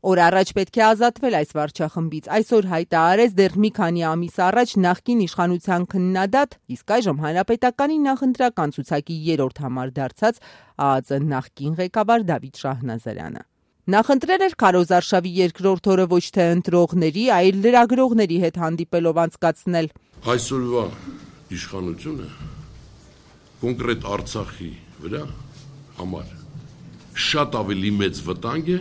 Օր առաջ պետք է ազատվել այս վարչախմբից, այսօր հայտարարեց դեռ մի քանի ամիս առաջ նախկին իշխանության քննադատ, իսկ այժմ Հանրապետականի նախընտրական ցուցակի 3-րդ համար դարձած ԱԱԾ նախկին ղեկավար Դավիթ Շահնազարյանը։ Նախընտրել էր քարոզարշավի երկրորդ օրը ոչ թե ընտրողների, այլ լրագրողների հետ հանդիպելով անցկացնել։ Այսօրվա իշխանությունը կոնկրետ Արցախի վրա համար շատ ավելի մեծ վտանգ է,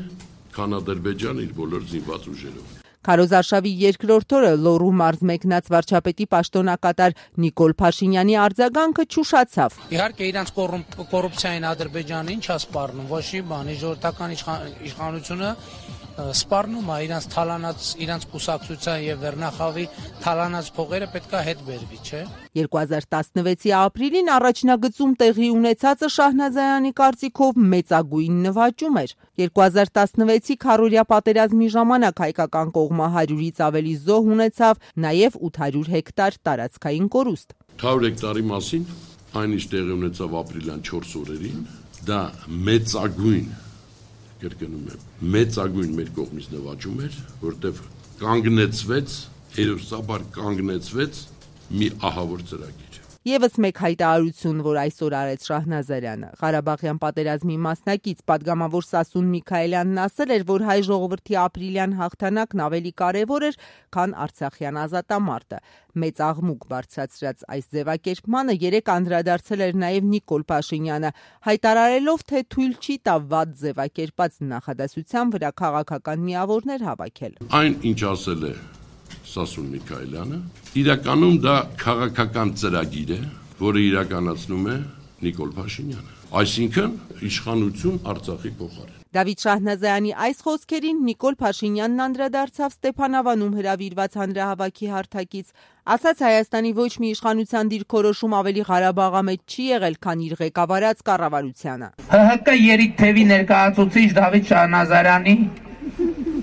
քան Ադրբեջանը իր բոլոր զինված ուժերով։ Քարոզարշավի երկրորդ օրը Լոռու մարզ մեկնած վարչապետի պաշտոնակատար Նիկոլ Փաշինյանի արձագանքը չուշացավ։ Իհարկե իրանց կոռուպցիային Ադրբեջանը ինչ է սպառնում, ոչ մի բան, ժողովրդական իշխանությունը սպառնում է իրանց թալանած, իրանց կուսակցության եւ վերնախավի թալանած փողերը պետքա հետ բերվի, չէ։ 2016-ի ապրիլին առաջնագծում տեղի ունեցածը Շահնազարյանի կարծիքով մեծագույն նվաճում էր։ 2016-ի քառորյա պատերազմի ժամանակ հայկական կողմը 100-ից ավելի զոհ ունեցավ, նաև 800 հեկտար տարածքային կորուստ։ 100 հեկտարի մասին այն ինչ տեղի ունեցավ ապրիլյան 4 օրերին, դա մեծագույն մեր կողմից նվաճում էր, որտեղ կանգնեցվեց, հերոսաբար կանգնեցվեց մի ահավոր ծրագիր։ Եվս մեկ հայտարարություն, որ այսօր արեց Շահնազարյանը։ Ղարաբաղյան պատերազմի մասնակից պատգամավոր Սասուն Միքայելյանն ասել էր, որ հայ ժողովրդի ապրիլյան հաղթանակն ավելի կարևոր էր, քան արցախյան ազատամարտը։ Մեծ աղմուկ բարձրացրած այս ձևակերպմանը երեկ անդրադարձել էր նաև Նիկոլ Փաշինյանը, հայտարարելով, թե թույլ չի տա վատ ձևակերպած նախադասության վրա քաղաքական միավորներ հավաքել։ Այն, ինչ ասել է Սասուն Միքայելյանը, իրականում դա քաղաքական ծրագիր է, որը իրականացնում է Նիկոլ Փաշինյանը, այսինքն իշխանություն Արցախի փոխարեն։ Դավիթ Շահնազարյանի այս խոսքերին Նիկոլ Փաշինյանն անդրադարձավ Ստեփանավանում հրավիրված հանրահավաքի հարթակից, ասաց Հայաստանի ոչ մի իշխանության դիրքորոշում ավելի Ղարաբաղամետ չի եղել, քան իր ղեկավարած կառավարությանը։ ՀՀԿ երիքթևի ներկայացուցիչ Դավիթ Շահնազարյանի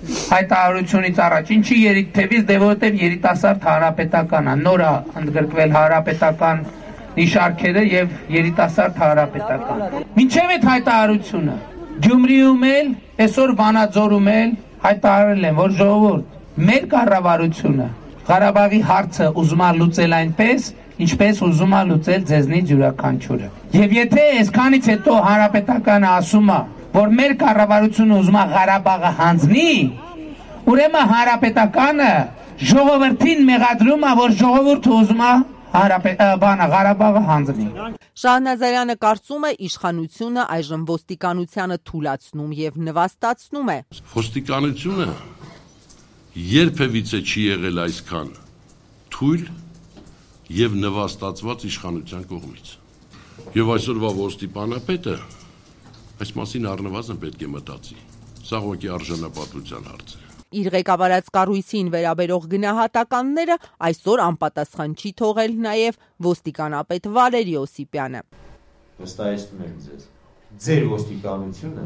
հայտարարությունից առաջ ինչի երիքթևից, դե որտեղ երիտասարդ հանրապետական է, նոր է ընդգրկվել հանրապետական նիշարքերը եւ երիտասարդ հանրապետական։ Մինչեւ այդ հայտարարությունը Գյումրիում էլ, այսօր Վանաձորում էլ հայտարարել են, որ ժողովուրդ, մեր կառավարությունը Ղարաբաղի հարցը ուզում է լուծել այնպես, ինչպես ուզում է լուծել ձեզնից յուրաքանչյուրը։ Եվ եթե այսքանից հետո հանրապետականը ասում է, որ մեր կառավարությունը ուզում է Ղարաբաղը հանձնի, ուրեմն հանրապետականը ժողովրդին մեղադրում է, որ ժողովուրդը ուզում է Ղարաբաղը հանձնի։ Շահնազարյանը կարծում է, իշխանությունը այժմ ոստիկանությանը թուլացնում եւ նվաստացնում է։ Ոստիկանությունը երբևիցե չի եղել այսքան թույլ եւ նվաստացված իշխանության կողմից։ Եվ այսօրվա ոստիկանապետը այս մասին առնվազն պետք է մտածի։ Սա ուղղակի արժանապատվության հարց է։ Իր ղեկավարած կառույցին վերաբերող գնահատականները այսօր անպատասխան չի թողել նաև ոստիկանապետ Վալերի Օսիպյանը։ Վստահեցնում եմ ձեզ, ձեր ոստիկանությունը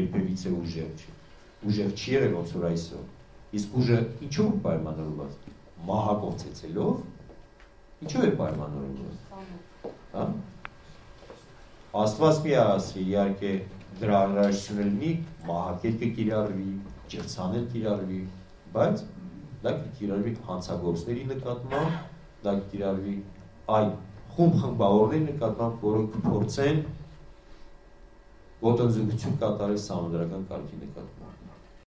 երբևիցե ուժեղ չի։ Ուժեղ չի եղել ոնց որ այսօր։ Իսկ ուժը ինչու է պայմանավորված։ Մահակով ցեցելով ինչու է պայմանավորված։ Հա։ Աստված մի ասի, իհարկե դրա անհրաժեշտություն լինի, մահակել կկիրառվի, ջրցանել կիրառվի, բայց դա կիրառվի հանցագործների նկատմամբ, դա կիրառվի այլ խումբ-խմբավորների նկատմամբ, որոնք կփորձեն ոտնձգություն կատարել սահմանադրական կարգի նկատմամբ։